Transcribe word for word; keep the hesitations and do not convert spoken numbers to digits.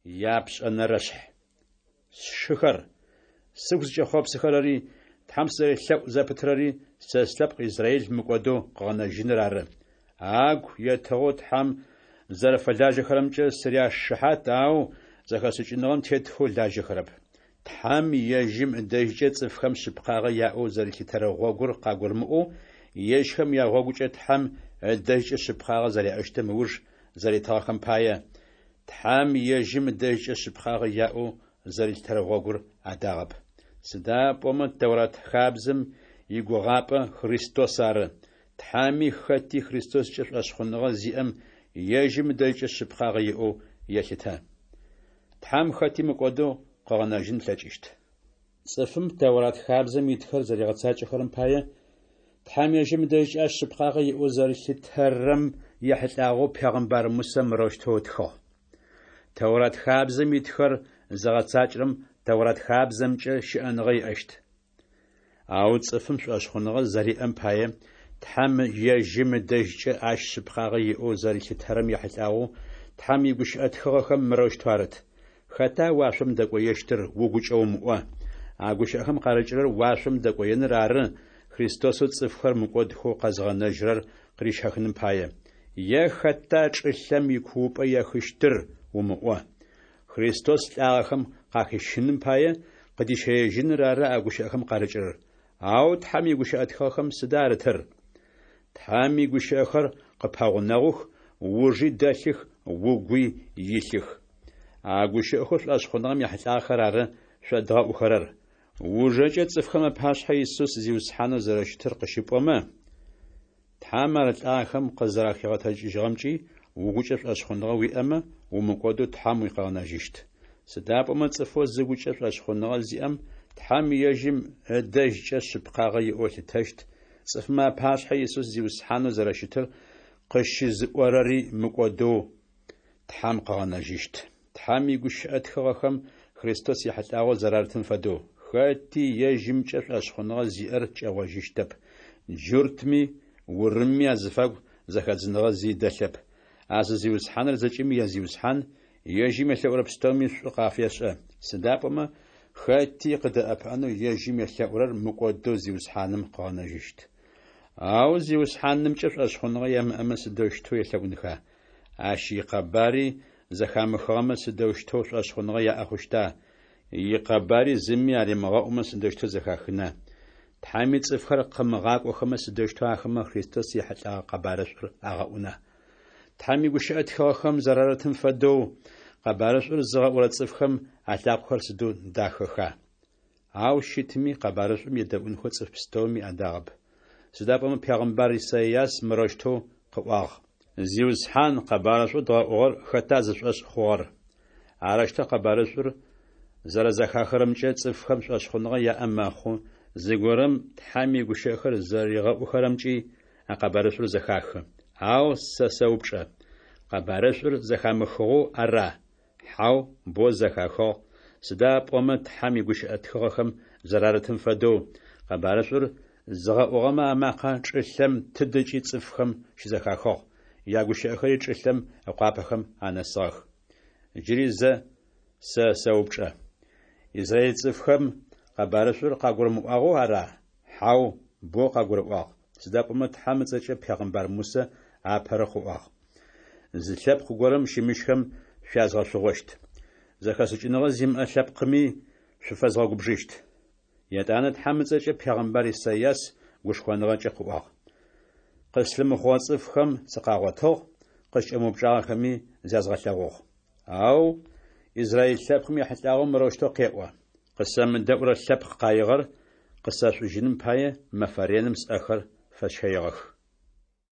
Япшӏэнэрэшъхь. Сшыхэр, сыгу зыкӏэхъопсыхэрэри, Тхьэм сызэрелъэӏу зэпытрэри сэ слъэпкъ Израил мыкӏодэу къыгъэнэжьыныр ары. Агу етыгъэу Тхьэм зэрэфэлажьэхэрэмкӏэ сыряшыхьат, ау зэхэшӏыкӏыныгъэм тетхэу лажьэхэрэп. Тхьэм ежьым ыдэжькӏэ цӏыфхэм шъыпкъагъэ яӏэу зэрилъытэрэ гъогур къагурымыӏоу, ежьхэм ягъогукӏэ Тхьэм ыдэжькӏэ шъыпкъагъэ зэряӏэщтым ыуж зэритыгъэхэм пае, Тхьэм ежьым ыдэжькӏэ шъыпкъагъэ яӏэу зэрилъытэрэ гъогур адагъэп. Сыда пӏомэ Тэурат хабзэм игугъапӏэ Христос ары. Тхьэми хэти Христоскӏэ шӏошъхъуныгъэ зиӏэм ежьым ыдэжькӏэ шъыпкъагъэ иӏэу елъытэ. Тхьэм хэти мыкӏодэу къыгъэнэжьын ылъэкӏыщт. Цӏыфым Тэурат хабзэм итхэр зэригъэцакӏэхэрэм пае, Тхьэм ежьым ыдэжькӏэ ащ шъыпкъагъэ иӏэу зэрилъытэрэм ехьылӏагъэу пегъымбар Мусэ мырэущтэу ытхыгъ: Тэурат хабзэм итхэр зыгъэцакӏэрэм Тэурат хабзэмкӏэ щыӏэныгъэ иӏэщт. Ау цӏыфым шӏошъхъуныгъэ зэриӏэм пае, Тхьэм ежьым ыдэжькӏэ ащ шъыпкъагъэ иӏэу зэрилъытэрэм ехьылӏагъэу Тхьэм игущыӏэ тхыгъэхэм мырэущтэу арыт: Хэта уашъом дэкӏоещтыр угукӏэ умыӏо. А гущыӏэхэм къарыкӏырэр уашъом дэкӏоеныр ары, Христосэу цӏыфхэр мыкӏодхэу къэзыгъэнэжьырэр къырищэхыным пае. Е хэта чӏылъэм икуупӏэ ехыщтыр умыӏо. Христос лӏагъэхэм къахищыным пае, къыдищэежьыныр ары а гущыӏэхэм къарыкӏырэр. Ау Тхьэм игущыӏэ тхыгъэхэм сыда арытыр? Тхьэм игущыӏэхэр къыппэгъунэгъух, ужи дэлъых, угуи илъых. А гущыӏэхэу шӏошъхъуныгъэм ехьылӏагъэхэр ары шъодгъэӏухэрэр. Ужэкӏэ цӏыфхэм апашъхьэ Исус Зиусхьанэу зэрэщытыр къыщыпӏомэ, Тхьэм ар лӏагъэхэм къызэрэхигъэтэджыкӏыжьыгъэмкӏи угукӏэ шӏошъхъуныгъэ уиӏэмэ, умыкӏодэу Тхьэм уикъыгъэнэжьыщт. Сыда пӏомэ цӏыфэу зыгукӏэ шӏошъхъуныгъэ зиӏэм Тхьэм ежьым ыдэжькӏэ шъыпкъагъэ иӏэу ылъытэщт, цӏыфмэ апашъхьэ Исус Зиусхьанэу зэрэщытыр къыщызыӏорэри мыкӏодэу Тхьэм къыгъэнэжьыщт. Тхьэм игущыӏэ тхыгъэхэм Христос ехьылӏагъэу зэрарытым фэдэу: Хэти ежьымкӏэ шӏошъхъуныгъэ зиӏэр кӏэгъожьыщтэп. Джуртми урымми азыфагу зэхэдзыныгъэ зи дэлъэп. А зы Зиусхьаныр зэкӏэми я Зиусхьан, ежьым елъэӏурэ пстэуми шӏу къафешӏэ. Сыда пӏомэ хэти къыдэӏэпыӏэнэу ежьым елъэӏурэр мыкӏодэу Зиусхьаным къыгъэнэжьыщт. Ау Зиусхьанымкӏэ шӏошъхъуныгъэ ямыӏэмэ сыдэущтэу елъэӏунха? Ащ икъэбари зэхамыхыгъэмэ сыдэущтэу шӏошъхъуныгъэ яӏэ хъущта? Икъэбари зыми аримыгъэӏумэ сыдэущтэу зэхахына? Тхьэми цӏыфхэр къымыгъакӏохэмэ сыдэущтэу ахэмэ Христос ехьылӏэгъэ къэбарышӏур агъэӏуна? Тхьэм игущыӏэ тхыгъэхэм зэрарытым фэдэу, къэбарышӏур зыгъэӏурэ цӏыфхэм алъакъохэр сыдэу дахэха! Ау щытми къэбарышӏум едэӏунхэу цӏыф пстэуми адагъэп. Сыда пӏомэ пегъымбар Исайас мырэущтэу къыӏуагъ: Зиусхьан, къэбарышӏоу дгъэӏугъэр хэта зышӏошъ хъугъэр? Арэущтэу къэбарышӏур зэрэзэхахырэмкӏэ цӏыфхэм шӏошъхъуныгъэ яӏэ мэхъу, зыгорэм Тхьэм игущыӏэхэр зэригъэӏухэрэмкӏи а къэбарышӏур зэхахы. Ау сэ сэупчӏэ: къэбарышӏур зэхамыхыгъэу ара? Хьау, боу зэхахыгъ, сыда пӏомэ Тхьэм игущыӏэ тхыгъэхэм зэрарытым фэдэу, къэбарышӏур зыгъэӏугъэмэ амакъэ чӏылъэм тыдэкӏи цӏыфхэм щызэхахыгъ, ягущыӏэхэри чӏылъэм ыкъуапэхэм анэсыгъэх. Джыри зэ сэ сэупчӏэ: Израиль цӏыфхэм къэбарышӏур къагурымыӏуагъэу ара? Хьау, боу къагурыӏуагъ, сыда пӏомэ Тхьэм ыцӏэкӏэ пегъымбар Мусэ апэрэу къыӏуагъ: Зы лъэпкъ горэм щымыщхэм шъуязгъэшъугъощт. Зэхэшӏыкӏыныгъэ зимыӏэ лъэпкъми шъуфэзгъэгубжыщт. Етӏанэ Тхьэм ыцӏэкӏэ пегъымбар Исайас гушхоныгъэкӏэ къыӏуагъ: Къыслъымыхъугъэ цӏыфхэм сыкъагъотыгъ, къыскӏэмыупчӏагъэхэми зязгъэлъэгъугъ. Ау Израиль лъэпкъым ехьылӏагъэу мырэущтэу къеӏо: Къысэмыдэӏурэ лъэпкъ къаигъэр къысэшӏужьыным пае мэфэ реным сӏэхэр фэсщэигъэх.